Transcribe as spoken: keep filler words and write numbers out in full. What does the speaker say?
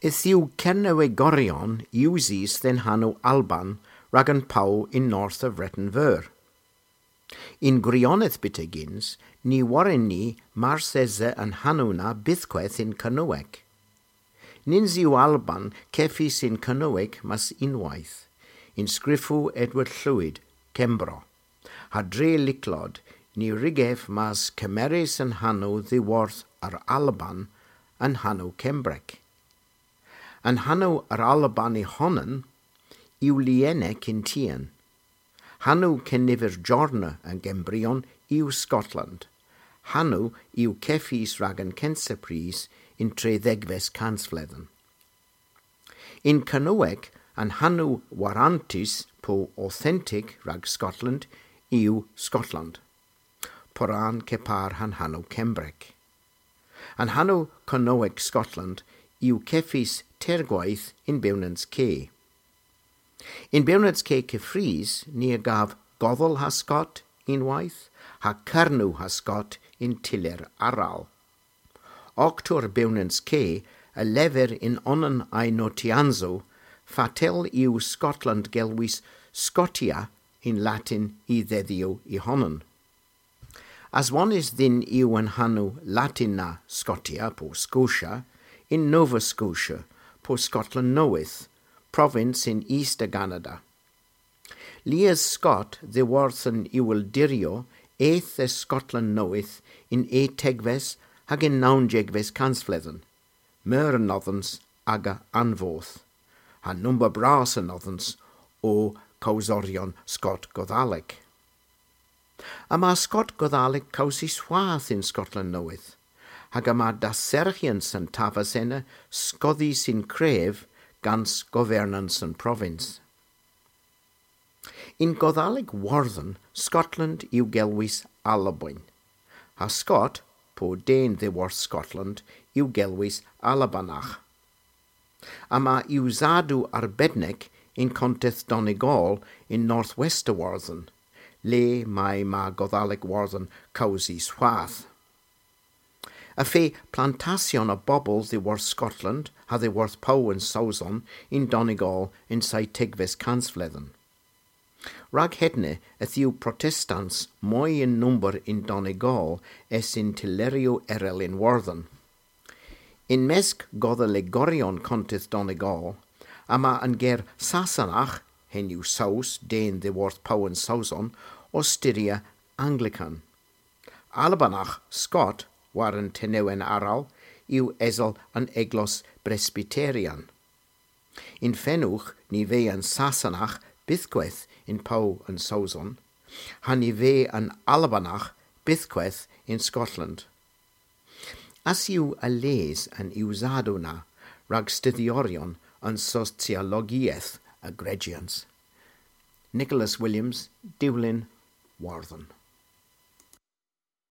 Yth yw Kernewegoryon usys dhe'n hanow Alban rag an pow yn north a Vreten Veur. Yn gwirionedh byttegyns, ny worren ni mars esa an hanow na bythkweth yn Kernewek. Nyns yw Alban kevys yn Kernewek mes unnweyth, yn skrifow Edward Llwyd, Kembro. Ha dre lycklod, ny wrug ev mes kemeres an hanow dhiworth ar Alban an hanow Kembrek. An hanow ar Alban y honan yw Lyenek yn tien. Hanow keniver jorna an Gembrian yw Skotland. Hanow yw kevys rag an kynsa prys yn trydhegves kansvledhen. Yn Kernewek, an hanow warantys po authentic rag Skotland yw Skotland. Poran kepar ha'n hanow Kembrek. An hanow Kernewek Skotland yw kevys teyrgweyth yn Bewnans Ke. Yn Bewnans Ke keffrys ni a gav Godhal ha Skot unnweyth, ha Kernow ha Skot yn tyller arall. Oktour Bewnans Ke a lever yn onan a'y notyansow fatel yw Skotland gelwys Scotia yn Latin y dhedhyow y honan. Aswonnys dhyn yw an hanow Latin na Scotia po Scotia yn Nova Scotia po Skotland Nowydh, provins yn East a Ganada. Lies Skot dhiworth an iweldiryow eth dhe Skotland Nowydh yn etegves hag yn nownsegves kansvledhen, meur anodhans aga anvoth, ha number bras anodhans o kowsoryon Skot Godhalik. Yma Skot Godhalik kewsys hwath yn Skotland Nowydh, hag yma dasserghyans an taves ena skodhys yn krev gans governans an provins. Yn Godhalik Wordhen, Skotland yw gelwys Alboin, ha Skot, po den dhiworth Skotland, yw gelwys Albanach. Yma usadow arbednek yn konteth Donegal yn northwest a Wordhen, le may ma Godhalik Wordhen kewsys hwath. Y feu plantasyon a bobel dhiworth Skotland ha dhiworth Pow an Sowson yn Donegal yn seytegves kansvledhen. Rag hedna yth yw Protestans moy yn nomber yn Donegal es yn tylleryow erel yn Wordhen. Yn mesk Godhaligoryon konteth Donegal, yma an ger Sasonagh, henn yw Sows, den dhiworth Pow an Sowson, ow styrya Anglican. Albanagh, Skot, war an tenewen arall, yw esel an eglos Bresbyterian. Yn fenowgh ny veu an Sasonagh bythkweth yn Pow an Sowson, ha ny veu an Albanagh bythkweth yn Skotland. Ass yw a les an usadow na rag studhyoryon an sosyologieth a grejyans. Nicholas Williams, Dewlin, Wordhen.